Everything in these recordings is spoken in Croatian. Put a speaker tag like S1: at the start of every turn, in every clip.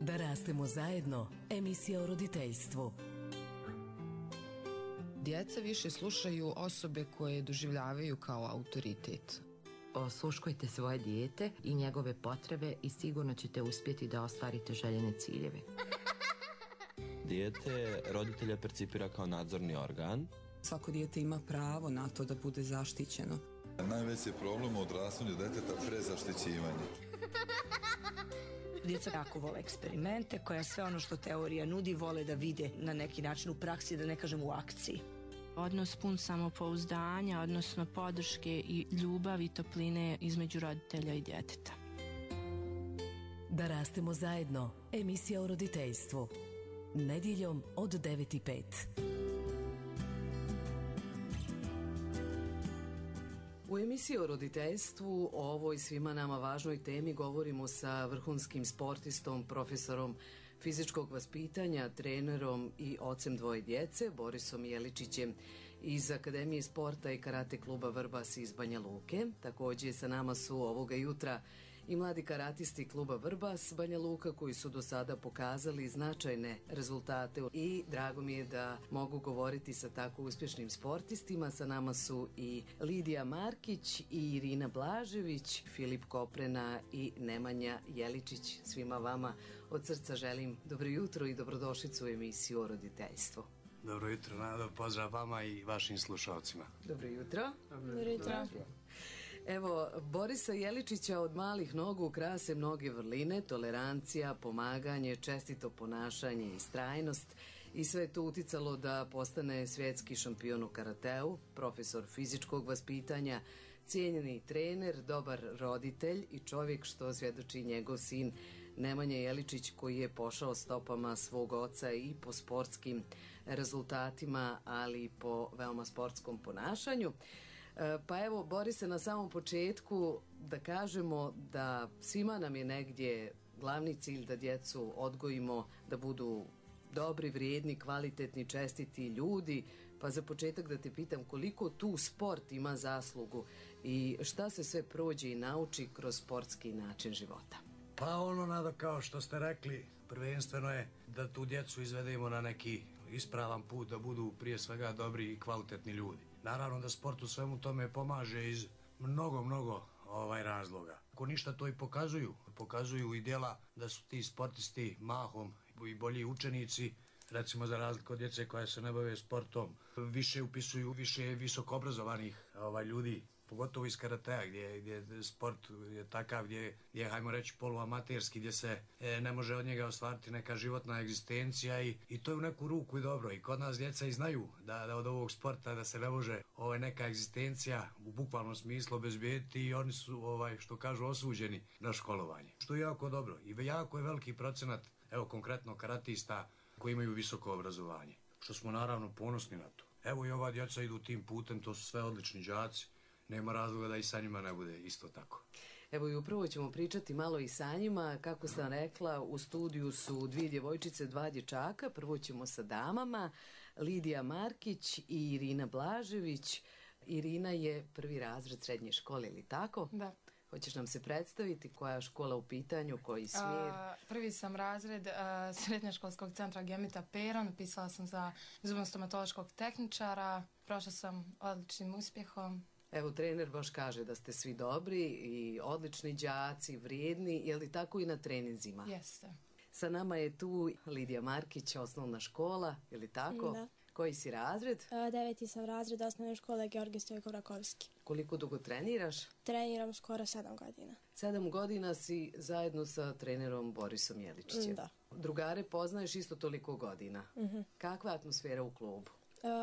S1: Da rastemo zajedno, emisija o roditeljstvu.
S2: Djeca više slušaju osobe koje doživljavaju kao autoritet.
S3: Osluškujte svoje dijete i njegove potrebe i sigurno ćete uspjeti da ostvarite željene ciljeve.
S4: Dijete roditelja percipira kao nadzorni organ.
S5: Svako dijete ima pravo na to da bude zaštićeno.
S6: Najveći problem u odrastanju djeteta prezaštićivanje.
S7: Djeca jako vole eksperimente, koja sve ono što teorija nudi vole da vide na neki način u praksi, da ne kažem u akciji.
S8: Odnos pun samopouzdanja, odnosno podrške i ljubavi i topline između roditelja i djeteta.
S1: Da rastemo zajedno, emisija o roditeljstvu. Nedjeljom od 9:05. U emisiji o roditeljstvu o ovoj svima nama važnoj temi govorimo sa vrhunskim sportistom, profesorom fizičkog vaspitanja, trenerom i ocem dvoje djece, Borisom Jeličićem iz Akademije sporta i karate kluba Vrbas iz Banja Luke. Također sa nama su ovoga jutra i mladi karatisti kluba Vrbas Banja Luka koji su do sada pokazali značajne rezultate i drago mi je da mogu govoriti sa tako uspješnim sportistima. Sa nama su i Lidija Markić i Irina Blažević, Filip Koprena i Nemanja Jeličić. Svima vama od srca želim dobro jutro i dobrodošlicu u emisiju o roditeljstvu.
S9: Dobro jutro, Nado, pozdrav vama i vašim slušalcima.
S1: Dobro jutro.
S10: Dobro jutro.
S1: Evo, Borisa Jeličića od malih nogu krase mnoge vrline, tolerancija, pomaganje, čestito ponašanje i istrajnost i sve je to uticalo da postane svjetski šampion u karateu, profesor fizičkog vaspitanja, cijenjeni trener, dobar roditelj i čovjek što svjedoči njegov sin Nemanja Jeličić koji je pošao stopama svog oca i po sportskim rezultatima, ali i po veoma sportskom ponašanju. Pa evo, Borise, na samom početku da kažemo da svima nam je negdje glavni cilj da djecu odgojimo da budu dobri, vrijedni, kvalitetni, čestiti ljudi, pa za početak da te pitam koliko tu sport ima zaslugu i šta se sve prođe i nauči kroz sportski način života.
S9: Pa Nado, kao što ste rekli, prvenstveno je da tu djecu izvedemo na neki ispravan put, da budu prije svega dobri i kvalitetni ljudi. Naravno da sport u svemu tome pomaže iz mnogo razloga. Ako ništa to i pokazuju i djela da su ti sportisti mahom i bolji učenici, recimo za razliku od djece koja se ne bave sportom, više upisuju više visokoobrazovanih ljudi, pogotovo iz karatea gdje sport je takav gdje je, hajmo reći, poluamaterski, gdje se ne može od njega ostvariti neka životna egzistencija i to je u neku ruku i dobro. I kod nas djeca i znaju da od ovog sporta da se ne može neka egzistencija u bukvalnom smislu obezbijediti i oni su, što kažu, osuđeni na školovanje. Što je jako dobro i jako je veliki procenat, evo konkretno karatista koji imaju visoko obrazovanje, što smo naravno ponosni na to. Evo i ova djeca idu tim putem, to su sve odlični đaci. Nema razloga da i sa njima ne bude isto tako.
S1: Evo i upravo ćemo pričati malo i sa njima. Kako sam rekla, u studiju su dvije djevojčice, dva dječaka. Prvo ćemo sa damama, Lidija Markić i Irina Blažević. Irina je prvi razred srednje škole, ili tako?
S10: Da.
S1: Hoćeš nam se predstaviti koja je škola u pitanju, koji smjer?
S10: Prvi sam razred srednjoškolskog centra Gemita Peron, pisala sam za zubno-stomatološkog tehničara, prošla sam odličnim uspjehom.
S1: Evo, trener baš kaže da ste svi dobri i odlični đaci, vrijedni, je li tako i na treninzima?
S10: Jeste.
S1: Sa nama je tu Lidija Markić, osnovna škola, je li tako?
S11: Da.
S1: Koji si razred?
S11: 9. sam razred osnovne škole Georgij Stojkov-Rakovski.
S1: Koliko dugo treniraš?
S11: Treniram skoro 7 godina.
S1: 7 godina si zajedno sa trenerom Borisom Jeličićem.
S11: Da.
S1: Drugare poznaješ isto toliko godina. Kakva je atmosfera u klubu?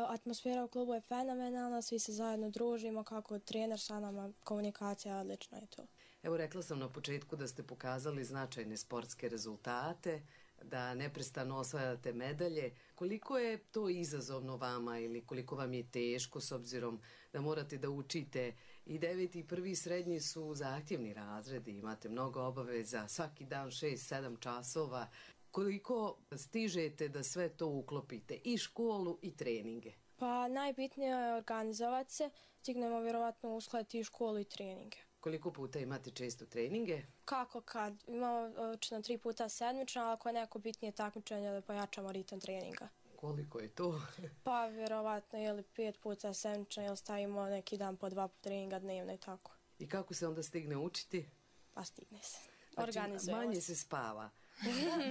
S11: Atmosfera u klubu je fenomenalna, svi se zajedno družimo, kako trener sa nama, komunikacija odlična je to.
S1: Evo, rekla sam na početku da ste pokazali značajne sportske rezultate, da neprestano osvajate medalje. Koliko je to izazovno vama ili koliko vam je teško s obzirom da morate da učite i 9. i 1. srednji su zahtjevni razredi, imate mnogo obaveza, svaki dan 6-7 časova. Koliko stižete da sve to uklopite, i školu i treninge?
S11: Pa najbitnije je organizovati se, stignemo vjerovatno uskladiti i školu i treninge.
S1: Koliko puta imate često treninge?
S11: Kako kad? Imamo obično 3 puta sedmično, ali ako je neko bitnije takmičenje da pojačamo ritam treninga.
S1: Koliko je to?
S11: Pa vjerovatno ili 5 puta sedmično ili stavimo neki dan po 2 treninga dnevno i tako.
S1: I kako se onda stigne učiti?
S11: Pa stigne se.
S1: Znači,
S11: Organizujemo
S1: manje
S11: se.
S1: se spava.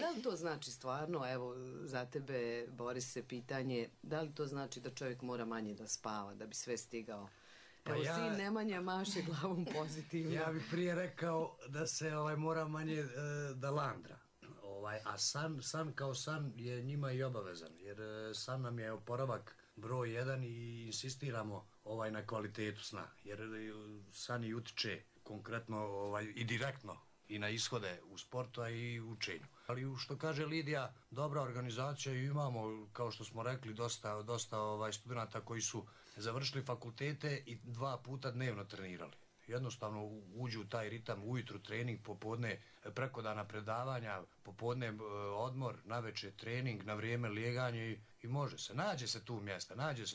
S1: Da li to znači stvarno, evo za tebe Borise pitanje, da li to znači da čovjek mora manje da spava da bi sve stigao? Evo sin Nemanja maše glavom pozitivno.
S9: Ja bih prije rekao da se mora manje da landra. A san kao san je njima i obavezan, jer san nam je oporavak broj 1 i insistiramo na kvalitetu sna, jer san i utiče konkretno i direktno i na ishode u sportu, a i u učenju. Ali što kaže Lidija, dobra organizacija i imamo, kao što smo rekli, dosta studenta koji su završili fakultete i 2 puta dnevno trenirali. Jednostavno uđu u taj ritam, ujutru trening, popodne preko dana predavanja, popodne odmor, navečer trening, na vrijeme lijeganje i može se. Nađe se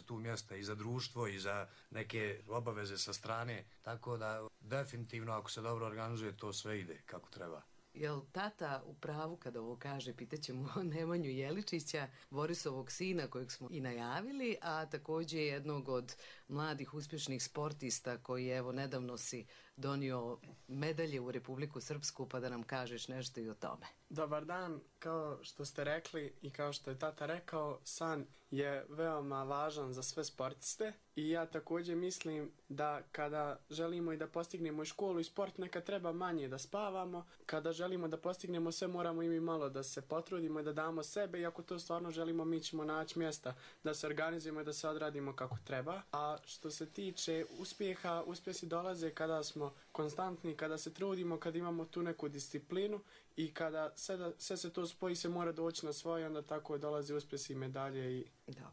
S9: tu mjesta i za društvo i za neke obaveze sa strane, tako da definitivno ako se dobro organizuje to sve ide kako treba.
S1: Jel tata u pravu kada ovo kaže, pitaćemo Nemanju Jeličića, Borisovog sina kojeg smo i najavili, a također jednog od mladih uspješnih sportista koji evo nedavno si donio medalje u Republiku Srpsku, pa da nam kažeš nešto i o tome.
S12: Dobar dan, kao što ste rekli i kao što je tata rekao, san je veoma važan za sve sportiste i ja također mislim da kada želimo i da postignemo i školu i sport, neka treba manje da spavamo. Kada želimo da postignemo sve, moramo i mi malo da se potrudimo i da damo sebe i ako to stvarno želimo, mi ćemo naći mjesta da se organizujemo i da se odradimo kako treba. A što se tiče uspjeha, uspjesi dolaze kada smo konstantni, kada se trudimo, kada imamo tu neku disciplinu i kada sve se to spoji, se mora doći na svoje, onda tako dolaze uspjesi i medalje i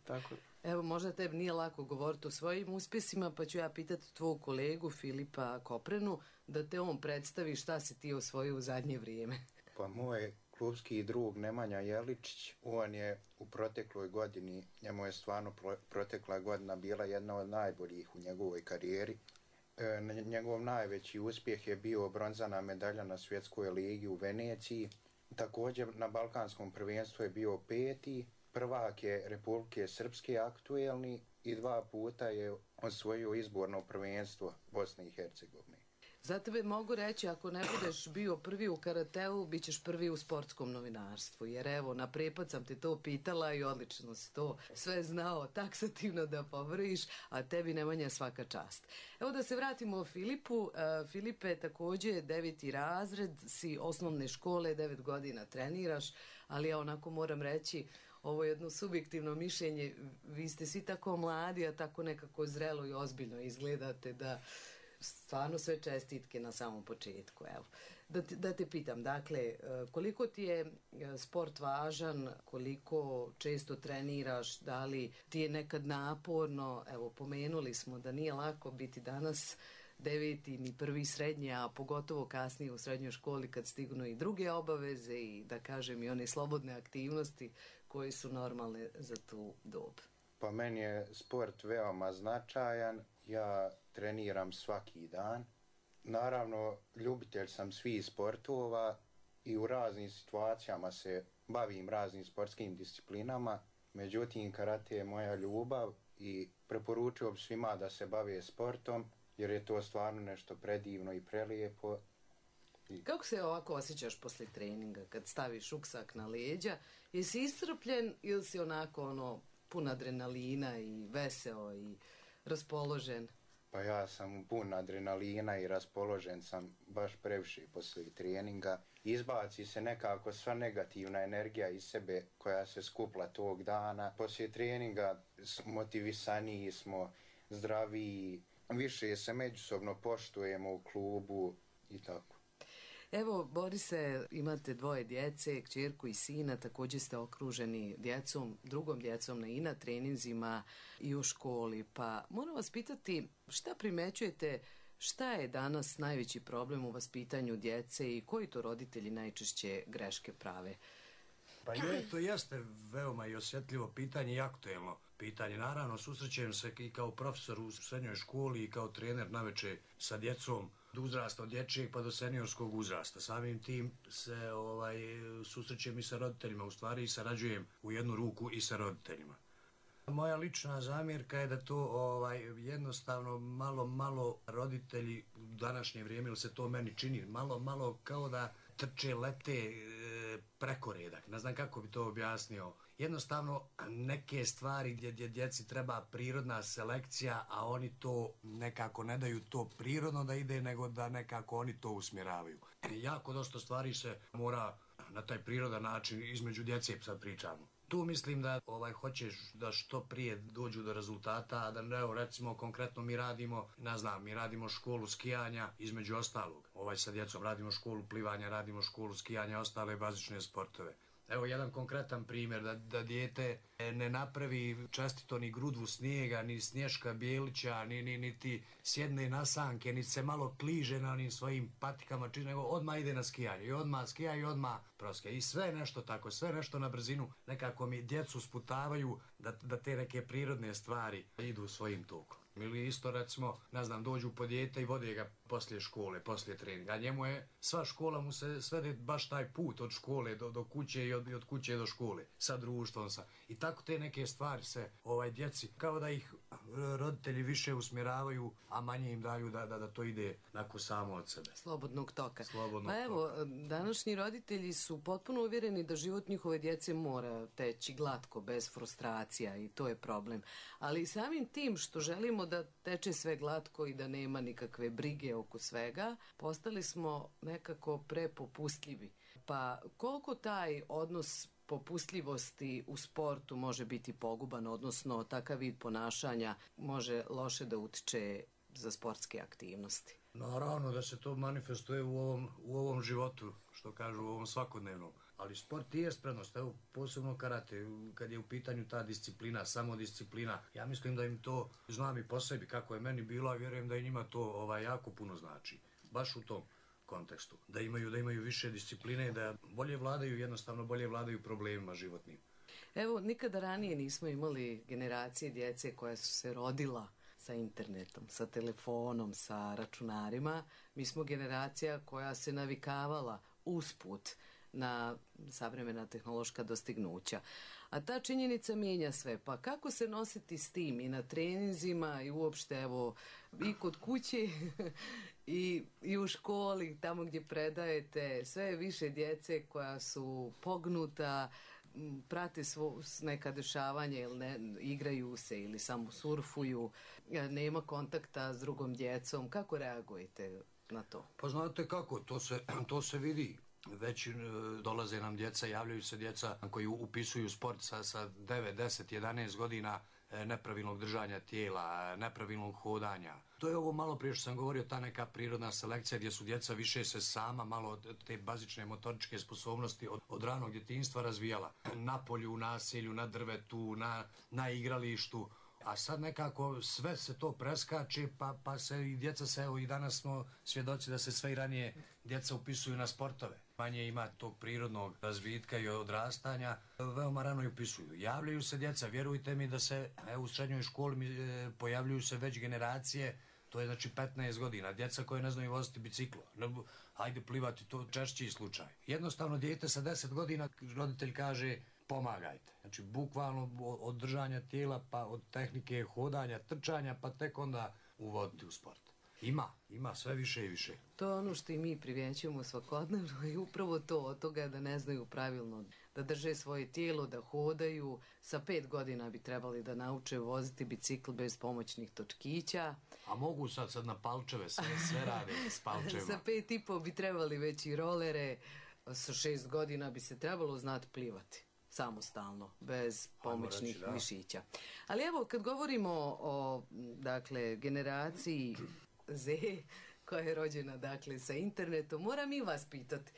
S12: tako.
S1: Evo, možda tebi nije lako govoriti o svojim uspjesima, pa ću ja pitati tvog kolegu Filipa Koprenu da te on predstavi šta si ti osvojio u zadnje vrijeme.
S13: Pa moj klubski drug Nemanja Jeličić, on je u protekloj godini, njemu je stvarno protekla godina bila jedna od najboljih u njegovoj karijeri. Njegov najveći uspjeh je bio bronzana medalja na svjetskoj ligi u Veneciji. Također na Balkanskom prvenstvu je bio 5. Prvak je Republike Srpske aktuelni i 2 puta je osvojio izborno prvenstvo Bosne i Hercegovine.
S1: Za tebe mogu reći, ako ne budeš bio prvi u karateu, bit ćeš prvi u sportskom novinarstvu. Jer evo, na prepad sam te to pitala i odlično si to sve znao taksativno da povriš, a tebi Nemanja svaka čast. Evo da se vratimo o Filipu. Filipe, također 9. razred, si osnovne škole, 9 godina treniraš, ali ja onako moram reći, ovo je jedno subjektivno mišljenje, vi ste svi tako mladi, a tako nekako zrelo i ozbiljno izgledate da stvarno sve čestitke na samom početku. Evo. Da te pitam, dakle, koliko ti je sport važan, koliko često treniraš, da li ti je nekad naporno, evo, pomenuli smo da nije lako biti danas 9. ni 1. srednje, a pogotovo kasnije u srednjoj školi kad stignu i druge obaveze i da kažem i one slobodne aktivnosti koje su normalne za tu dob.
S13: Pa meni je sport veoma značajan, ja treniram svaki dan. Naravno, ljubitelj sam svih sportova i u raznim situacijama se bavim raznim sportskim disciplinama. Međutim, karate je moja ljubav i preporučio bi svima da se bave sportom jer je to stvarno nešto predivno i prelijepo.
S1: Kako se ovako osjećaš poslije treninga kad staviš ruksak na leđa? Jesi iscrpljen ili si onako pun adrenalina i veseo i raspoložen?
S13: Pa ja sam pun adrenalina i raspoložen sam baš previše poslije treninga. Izbaci se nekako sva negativna energija iz sebe koja se skupla tog dana. Poslije treninga motivisaniji smo, zdraviji, više se međusobno poštujemo u klubu i tako.
S1: Evo, Borise, imate 2 djece, kćerku i sina, također ste okruženi djecom, drugom djecom na INA treninzima i u školi. Pa moram vas pitati, šta primećujete, šta je danas najveći problem u vaspitanju djece i koji to roditelji najčešće greške prave?
S9: Pa to jeste veoma i osjetljivo pitanje i aktuelno pitanje. Naravno, susrećem se i kao profesor u srednjoj školi i kao trener naveče sa djecom. uzrasta od dječjeg pa do seniorskog uzrasta. Samim tim se susrećem i sa roditeljima, u stvari i sarađujem u jednu ruku i sa roditeljima. Moja lična zamjerka je da to jednostavno malo roditelji u današnje vrijeme, ili se to meni čini, malo kao da trče, lete preko redak. Ne znam kako bi to objasnio. Jednostavno neke stvari gdje djeci treba prirodna selekcija, a oni to nekako ne daju to prirodno da ide, nego da nekako oni to usmjeravaju. Jako dosta stvari se mora na taj prirodan način između djece, sad pričamo. Tu mislim da hoćeš da što prije dođu do rezultata, a da evo recimo konkretno mi radimo školu skijanja između ostalog. Sa djecom radimo školu plivanja, radimo školu skijanja, ostale bazične sportove. Evo jedan konkretan primjer, da dijete ne napravi čestito ni grudvu snijega, ni Snješka Bijelića, niti sjedne na sanke, niti se malo kliže na onim svojim patikama, nego odmah ide na skijanje i odmah skija i odmah proske. I sve nešto tako, sve nešto na brzinu, nekako mi djecu sputavaju da te neke prirodne stvari idu svojim tokom. Ili isto recimo, dođu po dijete i vode ga poslije škole, poslije treninga. A njemu je, sva škola mu se svede baš taj put od škole do kuće i od kuće do škole, sa društvom. I tako te neke stvari se djeci, kao da ih roditelji više usmjeravaju, a manje im daju da to ide onako samo od sebe.
S1: Slobodnog toka. Današnji roditelji su potpuno uvjereni da život njihove djece mora teći glatko, bez frustracija, i to je problem. Ali samim tim što želimo da teče sve glatko i da nema nikakve brige oko svega, postali smo nekako prepopustljivi. Pa koliko taj odnos popustljivosti u sportu može biti poguban, odnosno takav vid ponašanja može loše da utiče za sportske aktivnosti?
S9: Naravno da se to manifestuje u ovom životu, što kažu, u ovom svakodnevnom. Ali sport je prednost, evo posebno karate, kad je u pitanju ta disciplina, samodisciplina. Ja mislim da im to, znam i po sebi kako je meni bilo, a vjerujem da i njima to jako puno znači. Baš u tom kontekstu. Da imaju više discipline, da jednostavno bolje vladaju problemima životnim.
S1: Evo, nikada ranije nismo imali generacije djece koja su se rodila sa internetom, sa telefonom, sa računarima. Mi smo generacija koja se navikavala usput na savremena tehnološka dostignuća. A ta činjenica mijenja sve. Pa kako se nositi s tim i na treninzima i uopšte, evo, i kod kuće i u školi, tamo gdje predajete, sve je više djece koja su pognuta, prate neka dešavanja ili igraju se ili samo surfuju, nema kontakta s drugom djecom. Kako reagujete na to?
S9: Pa znate kako, to se vidi. Već dolaze nam djeca, javljaju se djeca koji upisuju sport sa 9, 10, 11 godina nepravilnog držanja tijela, nepravilnog hodanja. To je ovo malo prije što sam govorio, ta neka prirodna selekcija gdje su djeca više se sama malo te bazične motoričke sposobnosti od ranog djetinjstva razvijala. Na polju, u naselju, na drvetu, na igralištu. A sad nekako sve se to preskače, pa se i djeca evo i danas smo svjedoci da se sve i ranije djeca upisuju na sportove. Manje ima tog prirodnog razvitka i odrastanja, veoma rano i upisuju. Javljaju se djeca, vjerujte mi da se u srednjoj školi pojavljuju se već generacije, to je znači 15 godina, djeca koje ne znaju voziti biciklo, hajde plivati, to češći slučaj. Jednostavno dijete sa 10 godina, roditelj kaže pomagajte. Znači bukvalno od držanja tijela, pa od tehnike hodanja, trčanja, pa tek onda uvoditi u sport. Ima sve više i više.
S1: To je ono što i mi primjećujemo svakodnevno i upravo to od toga da ne znaju pravilno da drže svoje tijelo, da hodaju. Sa 5 godina bi trebali da nauče voziti bicikl bez pomoćnih točkića.
S9: A mogu sad na palčeve, sve rade s palčevima.
S1: Sa 5,5 bi trebali već i rolere, sa 6 godina bi se trebalo znati plivati samostalno, bez pomoćnih mišića. Ali evo, kad govorimo o generaciji Z, koja je rođena sa internetom, moram i vas pitati.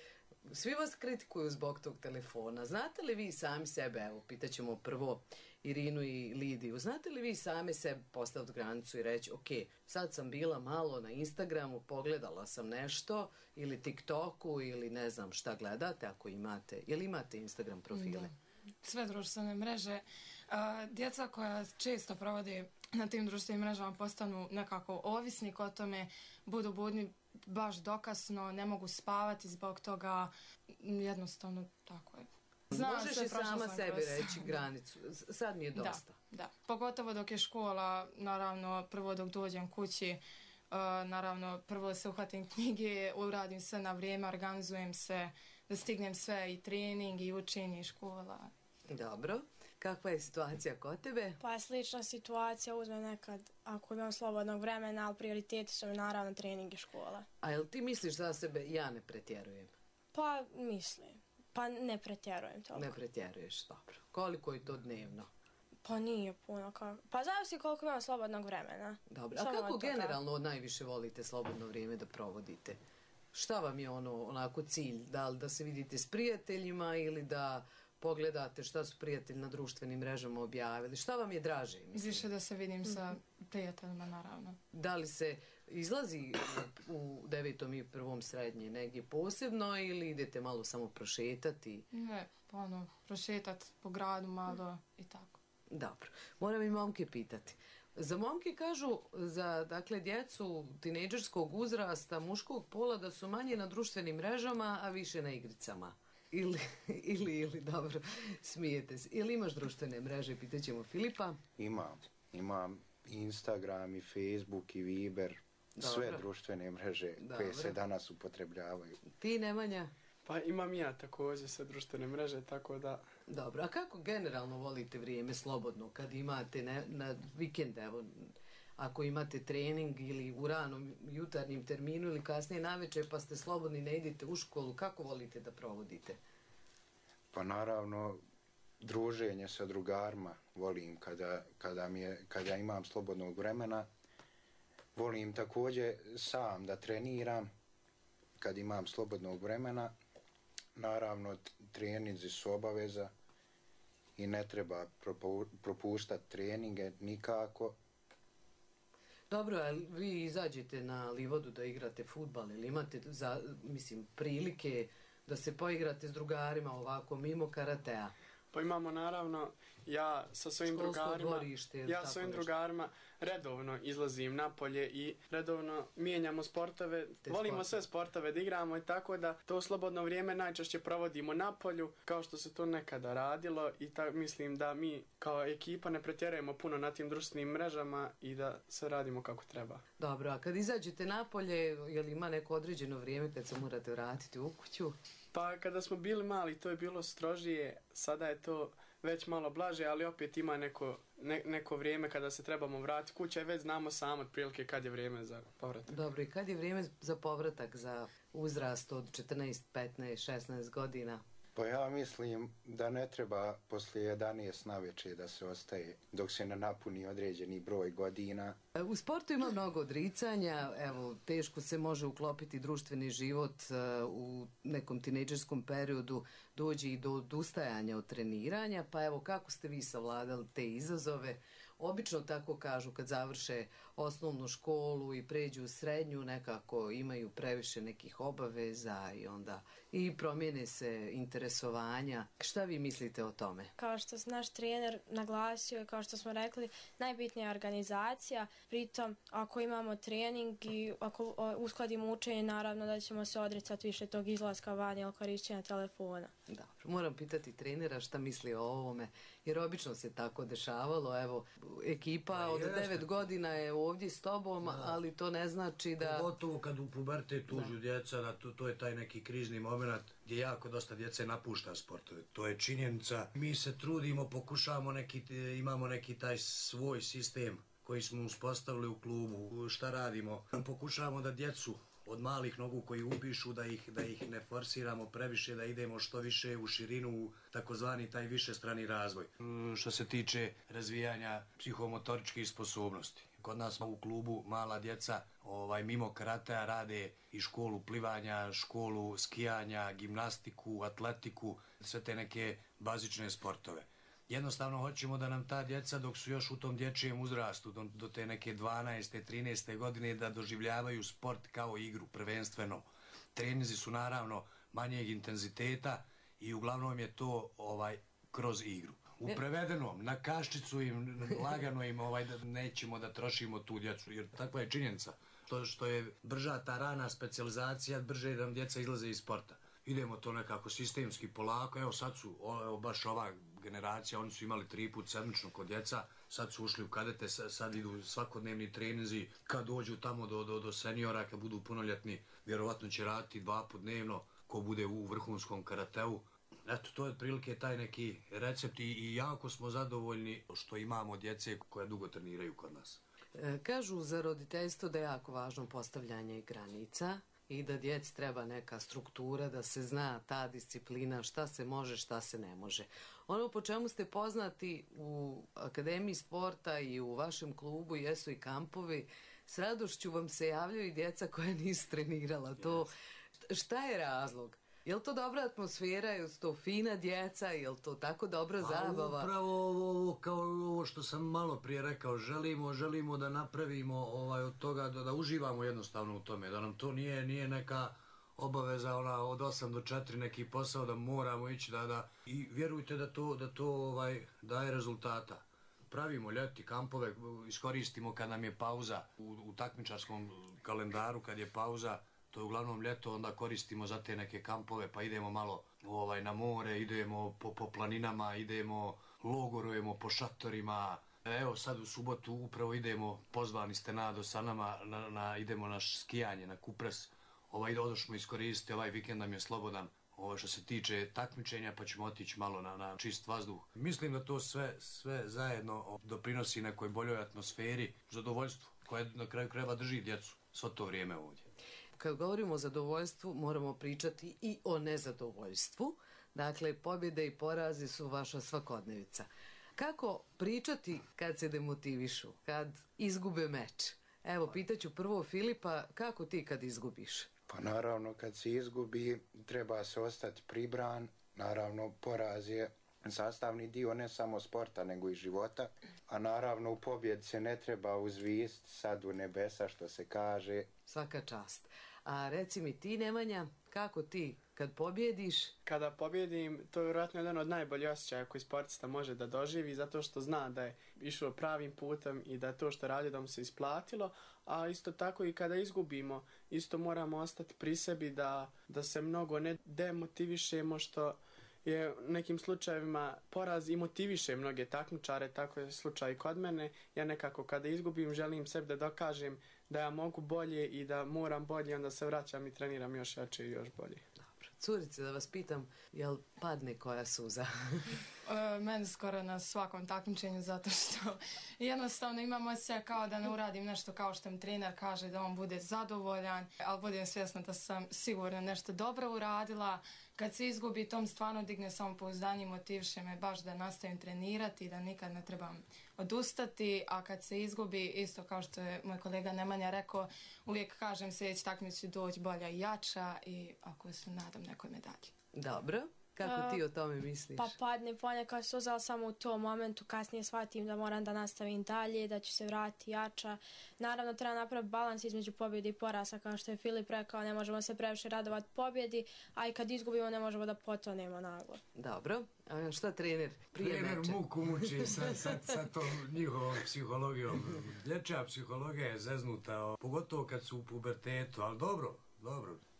S1: Svi vas kritikuju zbog tog telefona. Znate li vi sami sebe, evo, pitaćemo prvo Irinu i Lidiju, znate li vi same sebe postaviti granicu i reći, ok, sad sam bila malo na Instagramu, pogledala sam nešto, ili TikToku, ili ne znam šta gledate, ako imate. Jel imate Instagram profile?
S10: Da. Sve društvene mreže. Djeca koja često provode na tim društvenim mrežama postanu nekako ovisnik o tome, budu budni baš dokasno, ne mogu spavati zbog toga, jednostavno tako je.
S1: Možeš i sama sebi reći granicu, sad mi je dosta.
S10: Da, pogotovo dok je škola, naravno prvo dok dođem kući, naravno prvo se uhvatim knjige, uradim sve na vrijeme, organizujem se da stignem sve i trening i učenje i škola.
S1: Dobro. Kakva je situacija kod tebe?
S11: Pa je slična situacija, uzmem nekad ako imam slobodnog vremena, ali prioriteti su mi naravno trening i škola.
S1: A jel ti misliš za sebe, ja ne pretjerujem?
S11: Pa mislim, pa ne pretjerujem toliko.
S1: Ne pretjeruješ, dobro. Koliko je to dnevno?
S11: Pa nije puno. Pa zavisi koliko imam slobodnog vremena.
S1: Dobro, a kako generalno najviše volite slobodno vrijeme da provodite? Šta vam je onako cilj? Da li da se vidite s prijateljima ili da pogledate šta su prijatelji na društvenim mrežama objavili? Šta vam je draže?
S10: Više da se vidim sa prijateljima, naravno.
S1: Da li se izlazi u 9. i 1. srednje negdje posebno ili idete malo samo prošetati?
S10: Ne, prošetati po gradu malo i tako.
S1: Dobro. Moram i momke pitati. Za momke kažu, za dakle djecu tinejdžerskog uzrasta muškog pola da su manje na društvenim mrežama, a više na igricama. Ili, dobro, smijete se. Ili imaš društvene mreže, pitaćemo Filipa?
S13: Imam Instagram i Facebook i Viber, sve društvene mreže koje se danas upotrebljavaju.
S1: Ti, Nemanja?
S12: Pa imam ja također sve društvene mreže, tako da...
S1: Dobro, a kako generalno volite vrijeme slobodno kad imate na vikend, evo, ako imate trening ili u ranom jutarnjem terminu ili kasnije navečer pa ste slobodni, ne idete u školu, kako volite da provodite?
S13: Pa naravno, druženje sa drugarima volim kada imam slobodnog vremena. Volim također sam da treniram kad imam slobodnog vremena. Naravno, treninzi su obaveza i ne treba propuštati treninge nikako.
S1: Dobro, a vi izađete na Livodu da igrate fudbal ili imate prilike da se poigrate s drugarima ovako mimo karatea?
S12: Pa imamo naravno, ja sa svojim drugarima redovno izlazim napolje i redovno mijenjamo sportove, volimo sve sportove da igramo i tako da to slobodno vrijeme najčešće provodimo napolju kao što se to nekada radilo i mislim da mi kao ekipa ne pretjerujemo puno na tim društvenim mrežama i da sve radimo kako treba.
S1: Dobro, a kad izađete napolje, je li ima neko određeno vrijeme kad se morate vratiti u kuću?
S12: Pa kada smo bili mali to je bilo strožije, sada je to već malo blaže, ali opet ima neko vrijeme kada se trebamo vratiti kuća i već znamo samo otprilike kad je vrijeme za povratak.
S1: Dobro, i kad je vrijeme za povratak za uzrast od 14, 15, 16 godina?
S13: Pa ja mislim da ne treba poslije 11 navečer da se ostaje dok se ne napuni određeni broj godina.
S1: U sportu ima mnogo odricanja, evo, teško se može uklopiti društveni život u nekom tinejdžerskom periodu, dođe i do odustajanja od treniranja, pa evo, kako ste vi savladali te izazove? Obično tako kažu kad završe osnovnu školu i pređu u srednju, nekako imaju previše nekih obaveza i onda i promijene se interesovanja. Šta vi mislite o tome?
S11: Kao što naš trener naglasio i kao što smo rekli, najbitnija je organizacija. Pritom, ako imamo trening i ako uskladimo učenje, naravno da ćemo se odricati više tog izlaska van ili korišćenja telefona.
S1: Dobro, moram pitati trenera šta misli o ovome, jer obično se tako dešavalo. Evo, ekipa od 9 godina je ovdje s tobom, ali to ne znači da...
S9: Pogotovo kad u pubertetu tužu djeca, to je taj neki krizni moment gdje jako dosta djece napušta sportove. To je činjenica. Mi se trudimo, pokušavamo imamo neki taj svoj sistem koji smo uspostavili u klubu. Šta radimo? Pokušavamo da djecu od malih nogu koji upišu, da ih ne forsiramo previše, da idemo što više u širinu, u takozvani taj višestrani razvoj. Što se tiče razvijanja psihomotoričkih sposobnosti. Kod nas u klubu mala djeca mimo karatea rade i školu plivanja, školu skijanja, gimnastiku, atletiku, sve te neke bazične sportove. Jednostavno hoćemo da nam ta djeca dok su još u tom dječjem uzrastu, do te neke 12. 13. godine, da doživljavaju sport kao igru prvenstveno. Treninzi su naravno manjeg intenziteta i uglavnom je to kroz igru. U prevedenom, na kaščicu im, lagano im da nećemo da trošimo tu djecu, jer takva je činjenica. To što je brža ta rana specijalizacija, brže nam djeca izlaze iz sporta. Idemo to nekako sistemski polako, evo sad su, baš ova generacija, oni su imali 3 put sedmično kod djeca, sad su ušli u kadete, sad idu svakodnevni treninzi, kad dođu tamo do seniora, kad budu punoljetni, vjerovatno će raditi 2 put dnevno, ko bude u vrhunskom karateu. Eto, to je otprilike taj neki recept i jako smo zadovoljni što imamo djece koja dugo treniraju kod nas.
S1: Kažu za roditeljstvo da je jako važno postavljanje granica i da djeci treba neka struktura, da se zna ta disciplina, šta se može, šta se ne može. Ono po čemu ste poznati u Akademiji sporta i u vašem klubu jesu i kampovi. S radošću vam se javljaju i djeca koja nisu trenirala. To, šta je razlog? Je li to dobra atmosfera, je li to fina djeca, je li to tako dobra zabava?
S9: Upravo ovo, kao ovo što sam malo prije rekao, želimo da napravimo od toga, da uživamo jednostavno u tome, da nam to nije neka obaveza od 8 do 4 neki posao, da moramo ići, i vjerujte da to daje rezultata. Pravimo ljeti kampove, iskoristimo kad nam je pauza u takmičarskom kalendaru, kad je pauza, to je uglavnom ljeto, onda koristimo za te neke kampove, pa idemo malo na more, idemo po planinama, logorujemo po šatorima. Evo sad u subotu upravo idemo, pozvani ste sa nama, idemo na skijanje, na Kupres. Odošmo iskoristiti, ovaj vikend nam je slobodan. Što se tiče takmičenja, pa ćemo otići malo na čist vazduh. Mislim da to sve zajedno doprinosi nekoj boljoj atmosferi, zadovoljstvu, koje na kraju krajeva drži djecu svo to vrijeme ovdje.
S1: Kad govorimo o zadovoljstvu, moramo pričati i o nezadovoljstvu. Dakle, pobjede i porazi su vaša svakodnevica. Kako pričati kad se demotivišu, kad izgube meč? Evo, pitaću prvo Filipa, kako ti kad izgubiš?
S13: Pa naravno, kad se izgubi, treba se ostati pribran. Naravno, poraz je sastavni dio ne samo sporta, nego i života. A naravno, u pobjedi se ne treba uzvist sad u nebesa, što se kaže.
S1: Svaka čast. A reci mi ti, Nemanja, kako ti kad pobjediš?
S12: Kada pobjedim, to je vjerojatno jedan od najboljih osjećaja koji sportista može da doživi, zato što zna da je išao pravim putem i da to što radi da mu se isplatilo, a isto tako i kada izgubimo, isto moramo ostati pri sebi da se mnogo ne demotivišemo, što je u nekim slučajevima poraz i motiviše mnoge takmičare, tako je slučaj i kod mene. Ja nekako kada izgubim želim sebi da dokažem da ja mogu bolje i da moram bolje, onda se vraćam i treniram još jače i još bolje.
S1: Dobro. Curice, da vas pitam, jel padne koja suza?
S10: Meni skoro na svakom takmičenju, zato što jednostavno imam osjećaj kao da ne uradim nešto kao što mi trener kaže, da on bude zadovoljan, ali budem svjesna da sam sigurno nešto dobro uradila. Kad se izgubi, tom stvarno digne samopouzdanje i motiviše me baš da nastavim trenirati i da nikad ne trebam odustati, a kad se izgubi, isto kao što je moj kolega Nemanja rekao, uvijek kažem sljedeći takmičenje ću doći bolja i jača i ako se nadam nekoj medalji.
S1: Dobro. Kako ti o tome misliš?
S11: Pa padne ponekad suza, ali samo u tom momentu, kasnije shvatim da moram da nastavim dalje, da ću se vratiti jača. Naravno, treba napraviti balans između pobjede i poraza, kao što je Filip rekao, ne možemo se previše radovati pobjedi, a i kad izgubimo ne možemo da potonemo naglo.
S1: Dobro. A šta trener prije meča?
S9: Trener muku muči sa tom njihovom psihologijom. Dječja psihologija je zeznuta, pogotovo kad su u pubertetu, ali dobro.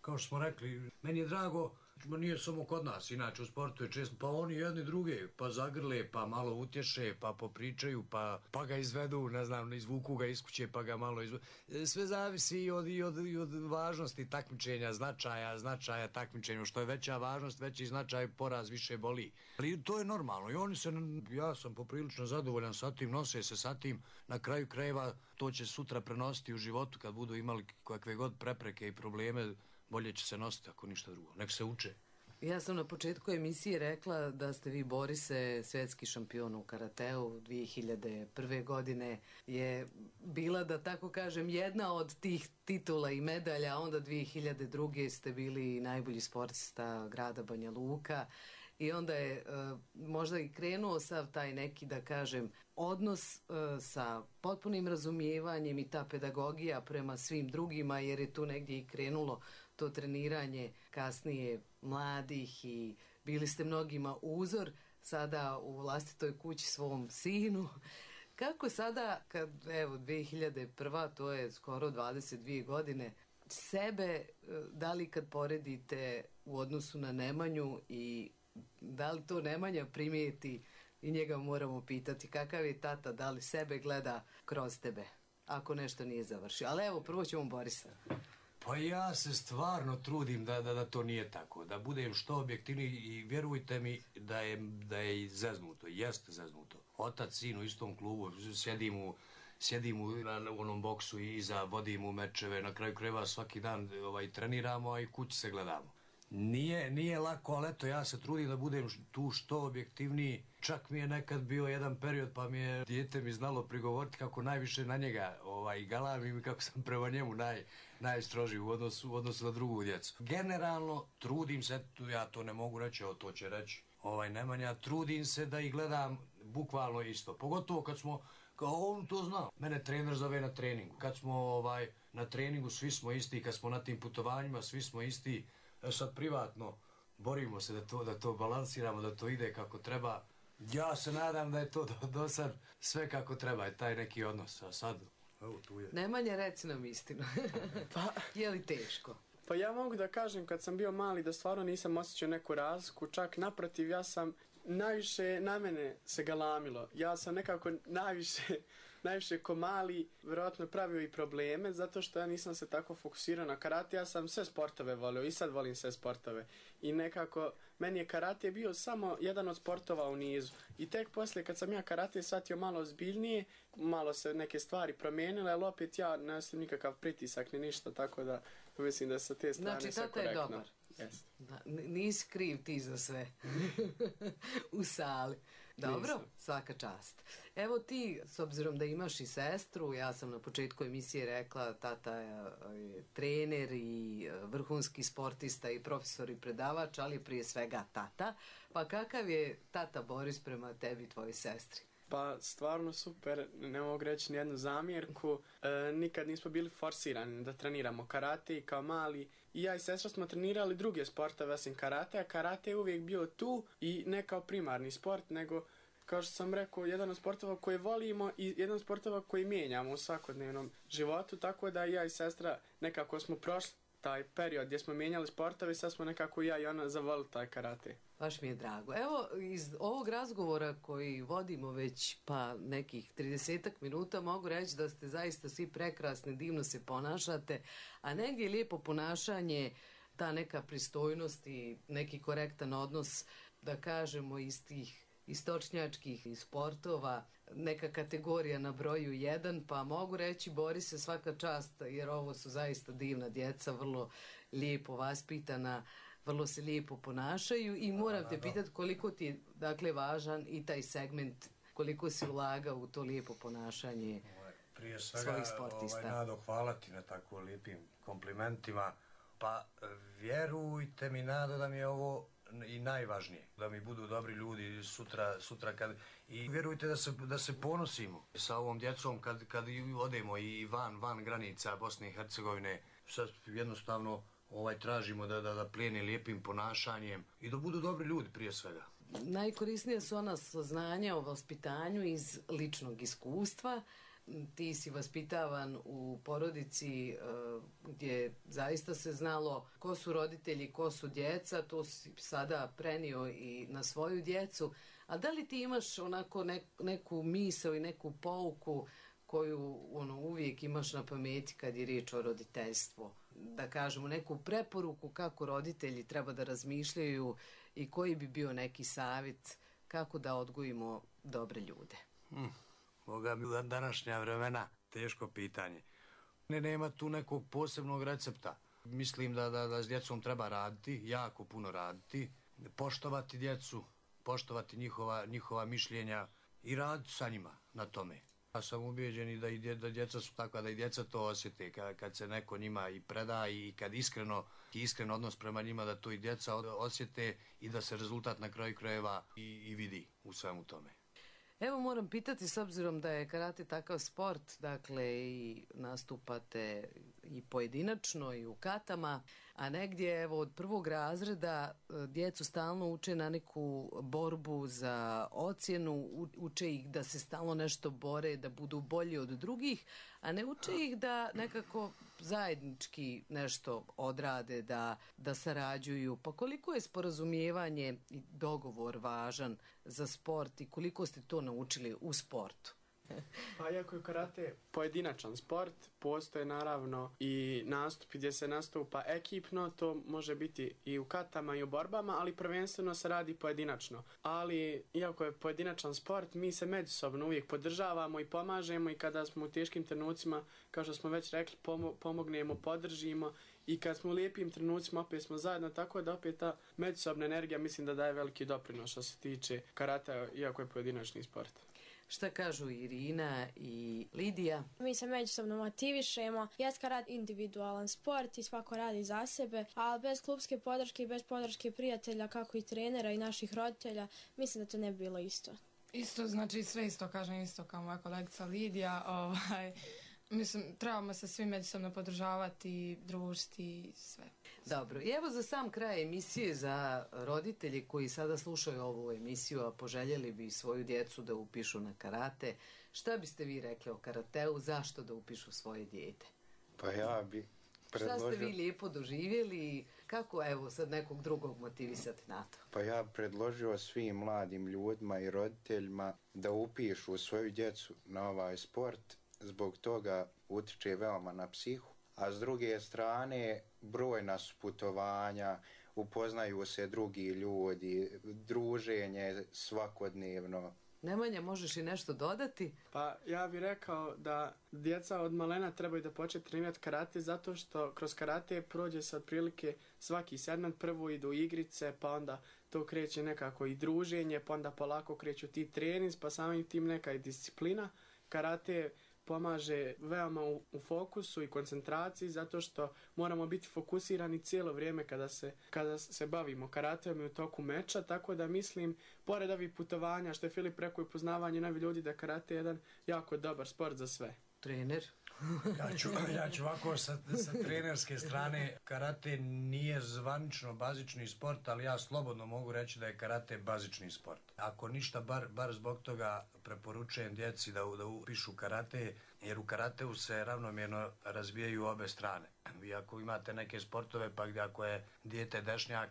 S9: Kao što smo rekli, meni je drago, nije samo kod nas, inače u sportu je često, pa oni jedni druge, pa zagrle, pa malo utješe, pa popričaju, pa ga izvedu, ne znam, izvuku ga iz kuće, pa ga malo izvedu. Sve zavisi i od važnosti takmičenja, značaja takmičenja, što je veća važnost, veći značaj, poraz više boli. Ali to je normalno i ja sam poprilično zadovoljan sa tim, nose se sa tim, na kraju krajeva to će sutra prenositi u životu kad budu imali kakve god prepreke i probleme, bolje će se nositi ako ništa drugo. Nek se uče.
S1: Ja sam na početku emisije rekla da ste vi, Borise, svjetski šampion u karateu. 2001. godine je bila, da tako kažem, jedna od tih titula i medalja, a onda 2002. ste bili najbolji sportista grada Banja Luka. I onda je možda i krenuo sav taj neki, da kažem, odnos sa potpunim razumijevanjem i ta pedagogija prema svim drugima, jer je tu negdje i krenulo to treniranje kasnije mladih i bili ste mnogima uzor, sada u vlastitoj kući svom sinu. Kako sada, kad, evo, 2001. to je skoro 22 godine, sebe, da li kad poredite u odnosu na Nemanju i da li to Nemanja primijeti i njega moramo pitati kakav je tata, da li sebe gleda kroz tebe, ako nešto nije završio. Ali evo, prvo ćemo Borisa.
S9: Pa ja se stvarno trudim da to nije tako, da budem što objektivniji i vjerujte mi da je zeznuto, jeste zeznuto. Otac, sin u istom klubu, sjedim u onom boksu i iza, vodim u mečeve, na kraju krajeva svaki dan treniramo, a i kući se gledamo. Nije lako, ali eto, ja se trudim da budem tu što objektivniji. Čak mi je nekad bio jedan period, pa mi je dijete mi znalo prigovoriti kako najviše na njega galamim i kako sam prema njemu najstrožiji u odnosu na drugu djecu. Generalno, trudim se, ja to ne mogu reći, to će reći Nemanja, trudim se da ih gledam bukvalno isto. Pogotovo kad smo, kao on to zna, mene trener zove na treningu. Kad smo na treningu, svi smo isti, kad smo na tim putovanjima, svi smo isti. Sad privatno borimo se da to balansiramo, da to ide kako treba. Ja se nadam da je to do sad sve kako treba, je taj neki odnos. A sad, evo tu je.
S1: Nemanja, reci nam istinu. Je li teško?
S12: Pa ja mogu da kažem kad sam bio mali da stvarno nisam osjećao neku razliku, čak naprotiv, ja sam najviše na mene se galamilo. Ja sam nekako najviše ko mali vjerojatno pravio i probleme, zato što ja nisam se tako fokusirao na karate. Ja sam sve sportove volio i sad volim sve sportove. I nekako, meni je karate bio samo jedan od sportova u nizu. I tek poslije kad sam ja karate shvatio malo ozbiljnije, malo se neke stvari promijenile, ali opet ja ne osim nikakav pritisak ni ništa, tako da mislim da sa te strane
S1: znači,
S12: sve korektno.
S1: Znači, tata je dobar. Da, nisi kriv ti za sve u sali. Dobro, nisam. Svaka čast. Evo ti, s obzirom da imaš i sestru, ja sam na početku emisije rekla, tata je trener i vrhunski sportista i profesor i predavač, ali prije svega tata. Pa kakav je tata Boris prema tebi i tvojoj sestri?
S12: Pa stvarno super, ne mogu reći nijednu zamjerku. Nikad nismo bili forsirani da treniramo karate i kao mali. I ja i sestra smo trenirali druge sportove osim karate, a karate je uvijek bio tu i ne kao primarni sport, nego kao što sam rekao, jedan od sportova koje volimo i jedan od sportova koji mijenjamo u svakodnevnom životu, tako da ja i sestra nekako smo prošli taj period gdje smo mijenjali sportove i sad smo nekako ja i ona zavolili taj karate.
S1: Baš mi je drago. Evo, iz ovog razgovora koji vodimo već pa nekih 30 minuta mogu reći da ste zaista svi prekrasni, divno se ponašate, a negdje je lijepo ponašanje, ta neka pristojnost i neki korektan odnos, da kažemo, iz tih istočnjačkih sportova, neka kategorija na broju 1, pa mogu reći Borise svaka čast, jer ovo su zaista divna djeca, vrlo lijepo vaspitana, vrlo se lijepo ponašaju i moram te pitati koliko ti je dakle važan i taj segment, koliko si ulagao u to lijepo ponašanje
S9: prije
S1: svojih sportista.
S9: Nado, hvala ti na tako lijepim komplimentima. Pa vjerujte mi, Nado, da mi je ovo i najvažnije, da mi budu dobri ljudi sutra kad... I vjerujte da se ponosimo sa ovom djecom kad odemo i van granica Bosne i Hercegovine. Sad jednostavno tražimo da plijene lijepim ponašanjem i da budu dobri ljudi prije svega.
S1: Najkorisnije su ona saznanja o vaspitanju iz ličnog iskustva. Ti si vaspitavan u porodici gdje zaista se znalo ko su roditelji, ko su djeca, to si sada prenio i na svoju djecu. A da li ti imaš onako neku misao i neku pouku koju uvijek imaš na pameti kad je riječ o roditeljstvu? Da kažemo, neku preporuku kako roditelji treba da razmišljaju i koji bi bio neki savjet kako da odgojimo dobre ljude?
S9: Boga mi u današnja vremena teško pitanje. Nema tu nekog posebnog recepta. Mislim da s djecom treba raditi, jako puno raditi, poštovati djecu, poštovati njihova mišljenja i raditi sa njima na tome. Ja sam ubijeđen da djeca su takva, da i djeca to osjete kad se neko njima i preda i kad iskren odnos prema njima, da to i djeca osjete i da se rezultat na kraju krajeva i vidi u svemu tome.
S1: Evo moram pitati, s obzirom da je karate takav sport, dakle i nastupate i pojedinačno i u katama, a negdje evo od prvog razreda djecu stalno uče na neku borbu za ocjenu, uče ih da se stalno nešto bore, da budu bolji od drugih, a ne uče ih da nekako zajednički nešto odrade, da sarađuju. Pa koliko je sporazumijevanje i dogovor važan za sport i koliko ste to naučili u sportu?
S12: Pa iako je karate pojedinačan sport, postoje naravno i nastupi gdje se nastupa ekipno, to može biti i u katama i u borbama, ali prvenstveno se radi pojedinačno. Ali iako je pojedinačan sport, mi se međusobno uvijek podržavamo i pomažemo i kada smo u teškim trenucima, kao što smo već rekli, pomognemo, podržimo i kad smo u lijepim trenucima opet smo zajedno, tako da opet ta međusobna energija mislim da daje veliki doprinos što se tiče karate, iako je pojedinačni sport.
S1: Šta kažu Irina i Lidija?
S11: Mi se međusobno motivišemo. Jest karate individualan sport i svako radi za sebe, ali bez klubske podrške i bez podrške prijatelja, kako i trenera i naših roditelja, mislim da to ne bi bilo isto.
S10: Isto, znači sve isto, kažem isto kao moja kolegica Lidija. Mislim, trebamo se svi međusobno podržavati, družiti i sve.
S1: Dobro, i evo za sam kraj emisije za roditelji koji sada slušaju ovu emisiju, a poželjeli bi svoju djecu da upišu na karate. Šta biste vi rekli o karateu, zašto da upišu svoje dijete?
S13: Pa ja bi predložio...
S1: Šta ste vi lijepo doživjeli, kako evo sad nekog drugog motivisati na to?
S13: Pa ja predložio svim mladim ljudima i roditeljima da upišu svoju djecu na ovaj sport, zbog toga utiče veoma na psihu. A s druge strane, brojna su putovanja, upoznaju se drugi ljudi, druženje svakodnevno.
S1: Nemanja, možeš i nešto dodati?
S12: Pa ja bih rekao da djeca od malena trebaju da počne trenirati karate zato što kroz karate prođe se otprilike svaki segment, prvo idu igrice, pa onda to kreće nekako i druženje, pa onda polako kreću ti trening, pa samim tim neka i disciplina. Karate pomaže veoma u fokusu i koncentraciji zato što moramo biti fokusirani cijelo vrijeme kada se bavimo karateom i u toku meča, tako da mislim, pored ovih putovanja, što je Filip rekao i poznavanje novih ljudi, da karate je jedan jako dobar sport za sve.
S1: Trener?
S9: Ja ću ovako sa trenerske strane, karate nije zvanično bazični sport, ali ja slobodno mogu reći da je karate bazični sport. Ako ništa, bar zbog toga preporučujem djeci da upišu karate, jer u karateu se ravnomjerno razvijaju obe strane. Vi ako imate neke sportove, pa gdje ako je dijete dešnjak,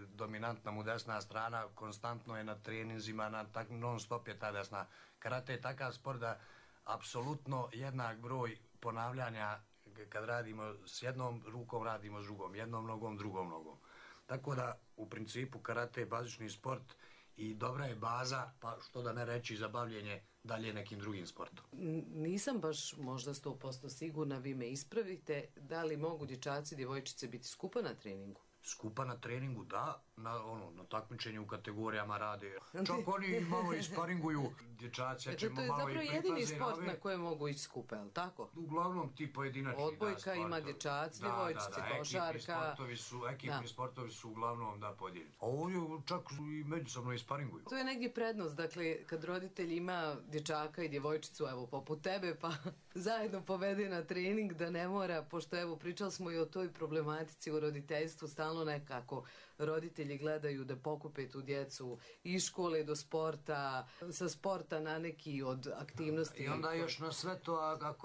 S9: dominantna mu desna strana, konstantno je na treninzima, non stop je ta desna. Karate je takav sport da apsolutno jednak broj ponavljanja, kad radimo s jednom rukom, radimo s drugom, jednom nogom, drugom nogom. Tako da u principu karate je bazični sport i dobra je baza, pa što da ne reći, za bavljenje dalje nekim drugim sportom.
S1: Nisam baš možda 100% sigurna, vi me ispravite, da li mogu dječaci i djevojčice biti skupa na treningu?
S9: Skupa na treningu, da, na takmičenju u kategorijama rade. Čak oni malo isparinguju, dječaci, ja ćemo malo i pripaze.
S1: To je zapravo jedini sport na koje mogu ići skupa, je li tako?
S9: Uglavnom ti pojedinačni
S1: odbojka ima dječaci, djevojčice, košarka.
S9: Ekipni sportovi su uglavnom podijeljeni. A ovdje čak i međusobno isparinguju.
S1: To je negdje prednost, dakle, kad roditelj ima dječaka i djevojčicu, evo, poput tebe, pa zajedno povede na trening, da ne mora, pošto evo, pričali smo i o toj problematici u roditeljstvu, stalno nekako roditelji gledaju da pokupe tu djecu iz škole do sporta, sa sporta na neki od aktivnosti.
S9: I onda još na sve to,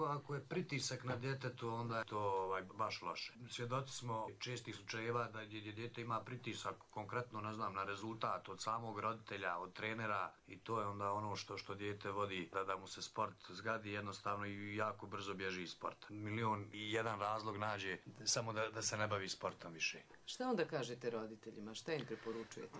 S9: ako je pritisak na djetetu, onda je to baš loše. Svjedoci smo čestih slučajeva da djete ima pritisak, konkretno, ne znam, na rezultat od samog roditelja, od trenera, i to je onda ono što dijete vodi da mu se sport zgadi jednostavno i jako brzo bježi iz sporta. 1.000.001 razlog nađe samo da se ne bavi sportom više.
S1: Šta onda kažete roditeljima? Šta im preporučujete?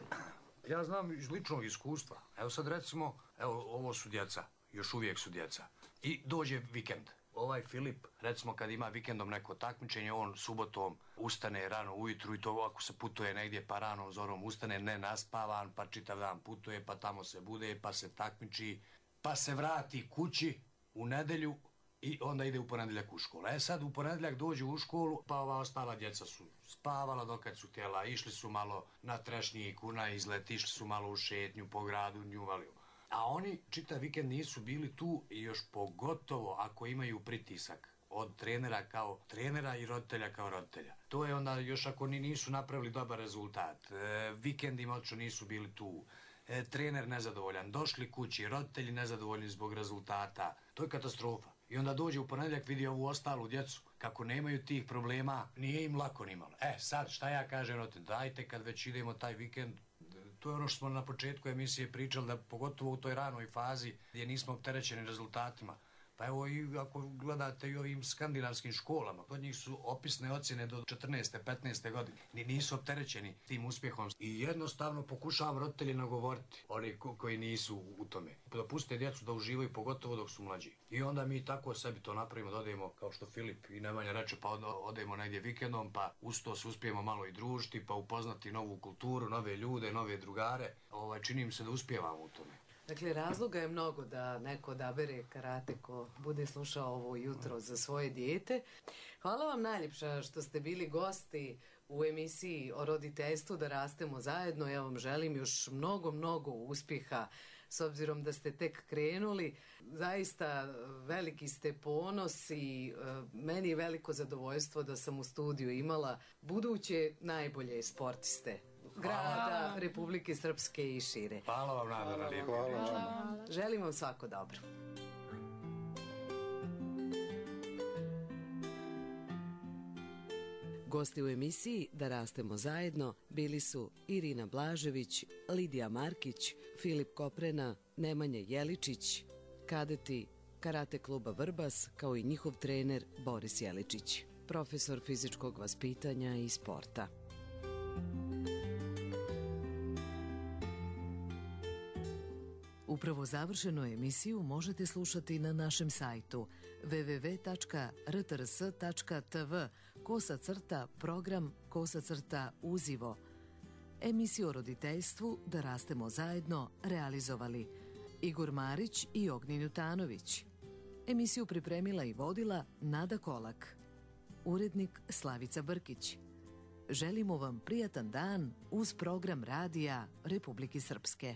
S9: Ja znam iz ličnog iskustva. Evo sad recimo, ovo su djeca, još uvijek su djeca. I dođe vikend. Ovaj Filip, recimo kad ima vikendom neko takmičenje, on subotom ustane rano ujutru i to ako se putuje negdje pa ranom zorom ustane nenaspavan, pa čitav dan putuje, pa tamo se bude, pa se takmiči, pa se vrati kući u nedjelju i onda ide u ponedjeljak u školu. Sad u ponedjeljak dođu u školu, pa ova ostala djeca su spavala dokad su htjela, išli su malo na trešnjiku, na izlet, išli su malo u šetnju po gradu, njuvali. A oni čitav vikend nisu bili tu i još pogotovo ako imaju pritisak od trenera kao trenera i roditelja kao roditelja. To je onda još ako nisu napravili dobar rezultat. Vikendima očito nisu bili tu. Trener nezadovoljan, došli kući, roditelji nezadovoljni zbog rezultata. To je katastrofa. I onda dođe u ponedjeljak, vidi ovu ostalu djecu, kako nemaju tih problema, nije im lako nimalo. Sad šta ja kažem roditelj, dajte kad već idemo taj vikend, to je ono što smo na početku emisije pričali, da pogotovo u toj ranoj fazi gdje nismo opterećeni rezultatima. Pa evo i ako gledate i ovim skandinavskim školama, kod njih su opisne ocjene do 14. 15. godine. Nisu opterećeni tim uspjehom. I jednostavno pokušavam roditelji nagovoriti, oni koji nisu u tome. Da puste djecu da uživaju, pogotovo dok su mlađi. I onda mi tako sebi to napravimo, da odemo, kao što Filip i Nemanja reče, pa odemo negdje vikendom, pa uz to se uspijemo malo i družiti, pa upoznati novu kulturu, nove ljude, nove drugare. Čini mi se da uspijevamo u tome.
S1: Dakle, razloga je mnogo da neko odabere karate ko bude slušao ovo jutro za svoje dijete. Hvala vam najljepša što ste bili gosti u emisiji o roditeljstvu Da rastemo zajedno. Ja vam želim još mnogo uspjeha s obzirom da ste tek krenuli. Zaista veliki ste ponos i meni je veliko zadovoljstvo da sam u studiju imala buduće najbolje sportiste grada, Republike Srpske i šire.
S9: Hvala vam, Nada, na lijepo.
S1: Želim vam svako dobro. Gosti u emisiji Da rastemo zajedno bili su Irina Blažević, Lidija Markić, Filip Koprena, Nemanja Jeličić, kadeti Karate kluba Vrbas, kao i njihov trener Boris Jeličić, profesor fizičkog vaspitanja i sporta. Upravo završenu emisiju možete slušati na našem sajtu www.rtrs.tv/program/uzivo. Emisiju o roditeljstvu Da rastemo zajedno realizovali Igor Marić i Ognjen Jutanović. Emisiju pripremila i vodila Nada Kolak. Urednik Slavica Brkić. Želimo vam prijatan dan uz program radija Republike Srpske.